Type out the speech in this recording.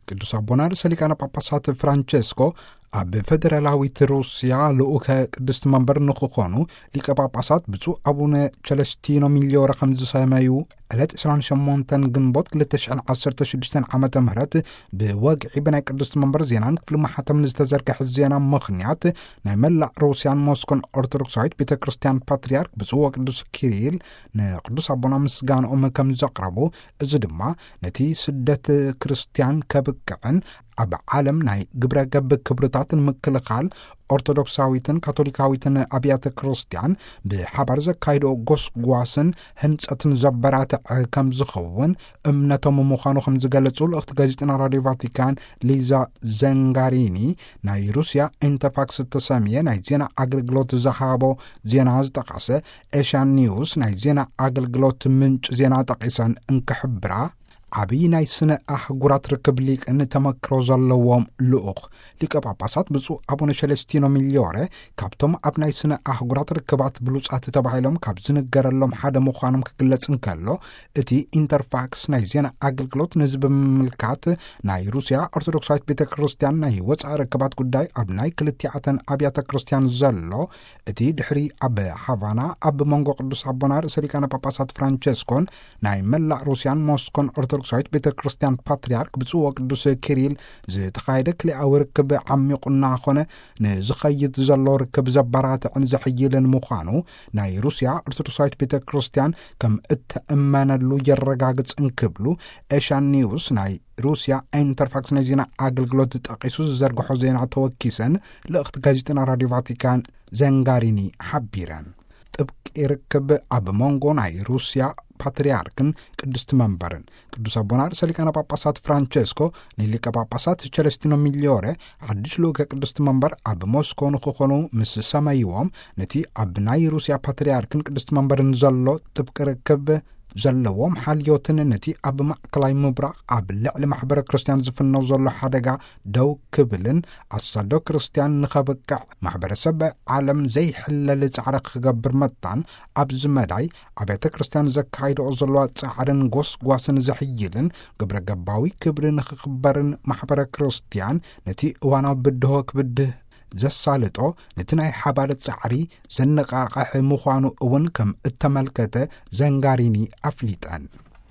ቅዱስ ኣቦና ርእሰ ሊቃነ ጳጳሳት ፍራንቸስኮ ኣብ ፌደራላዊት ሩስያ ልኡከ ቅድስት መንበር ንክኾኑ ሊቀ ጳጳሳት ብፁዕ ኣቡነ ቸለስቲኖ ሚሊዮረ ከም ዝሰመዩ ዕለት ዕስራን ሸሞንተን ግንቦት ክልተ ሽሕን ዓሰርተ ሽዱሽተን ዓመተ ምህረት ብወግዒ ብናይ ቅድስት መንበር ዜናን ክፍሊ ማሕተምን ዝተዘርግሐ ዜና ምኽንያት ናይ መላእ ሩስያን ሞስኮን ኦርቶዶክሳዊት ቤተ ክርስቲያን ፓትርያርክ ብፁዕ ወቅዱስ ኪሪል ንቅዱስ ኣቦና ምስጋንኦም ከም ዘቕረቡ፣ እዚ ድማ ነቲ ስደት ክርስቲያን ከብቅዕን ኣብ ዓለም ናይ ግብረ ገብ ክብርታት ንምክልኻል ኦርቶዶክሳዊትን ካቶሊካዊትን ኣብያተ ክርስቲያን ብሓባር ዘካይድኦ ጎስጓስን ህንጸትን ዘበራትዐ ከም ዝኸውን እምነቶም ምዃኑ ከም ዝገለጹ ልእኽቲ ጋዜጠና ራዲዮ ቫቲካን ሊዛ ዘንጋሪኒ ናይ ሩስያ ኢንተርፋክስ እተሰምየ ናይ ዜና ኣገልግሎት ዝሃቦ ዜና ዝጠቐሰ ኤሽያን ኒውስ ናይ ዜና ኣገልግሎት ምንጭ ዜና ጠቒሰን እንክሕብራ፣ ዓብዪ ናይ ስነ ኣህጉራት ርክብ ሊቅን ተመክሮ ዘለዎም ልኡኽ ሊቀ ጳጳሳት ብፁዕ ኣቡነ ሸለስቲኖ ሚሊዮረ ካብቶም ኣብ ናይ ስነ ኣህጉራት ርክባት ብሉጻት ተባሂሎም ካብ ዝንገረሎም ሓደ ምዃኖም ክግለጽ እንከሎ፣ እቲ ኢንተርፋክስ ናይ ዜና ኣገልግሎት ነዚ ብምምልካት ናይ ሩስያ ኦርቶዶክሳዊት ቤተ ክርስቲያን ናይ ወፃኢ ርክባት ጉዳይ ኣብ ናይ ክልቲኣተን ኣብያተ ክርስቲያን ዘሎ እቲ ድሕሪ ኣብ ሃቫና ኣብ መንጎ ቅዱስ ኣቦና ርእሰ ሊቃነ ጳጳሳት ፍራንቸስኮን ናይ መላእ ሩስያን ሞስኮን ኦርቶዶክሳዊት ቤተ ክርስቲያን ፓትርያርክ ብፁዕ ወቅዱስ ኪሪል ዝተኻየደ ክልኣዊ ርክብ ዓሚቑ እናኾነ ንዝኸይድ ዘሎ ርክብ ዘበራትዕን ዘሕይልን ምዃኑ ናይ ሩስያ ኦርቶዶክሳዊት ቤተ ክርስቲያን ከም እተእመነሉ የረጋግጽ እንክብሉ ኤሽያን ኒውስ ናይ ሩስያ ኢንተርፋክስ ናይ ዜና ኣገልግሎት ጠቒሱ ዝዘርግሖ ዜና ተወኪሰን ልእኽቲ ጋዜጠና ራዲዮ ቫቲካን ዘንጋሪኒ ሓቢረን። ጥብቂ ርክብ ኣብ መንጎ ናይ ሩስያ ፓትርያርክን ቅድስቲ መንበርን ቅዱስ ኣቦና ርእሰ ሊቃነ ጳጳሳት ፍራንቸስኮ ንሊቀ ጳጳሳት ቸለስቲኖ ሚሊዮረ ሓድሽ ልኡከ ቅድስቲ መንበር ኣብ ሞስኮ ንክኾኑ ምስ ሰመይዎም፣ ነቲ ኣብ ናይ ሩስያ ፓትርያርክን ቅድስቲ መንበርን ዘሎ ጥብቂ ርክብ ዘለዎም ሓልዮትን ነቲ ኣብ ማእከላይ ምብራቕ ኣብ ልዕሊ ማሕበረ ክርስቲያን ዝፍነው ዘሎ ሓደጋ ደው ክብልን ኣሳዶ ክርስቲያን ንኸብቅዕ ማሕበረሰብ ዓለም ዘይሕለል ጻዕሪ ክገብር መታን ኣብዚ መዳይ ኣብያተ ክርስቲያን ዘካይድኦ ዘለዋ ጻዕርን ጎስጓስን ዘሕይልን ግብረ ገባዊ ክብሪ ንኽኽበርን ማሕበረ ክርስቲያን ነቲ እዋናዊ ብድሆ ክብድህ ዘሳልጦ ነቲ ናይ ሓባር ጻዕሪ ዘነቓቕሕ ምዃኑ እውን ከም እተመልከተ ዘንጋሪኒ ኣፍሊጠን።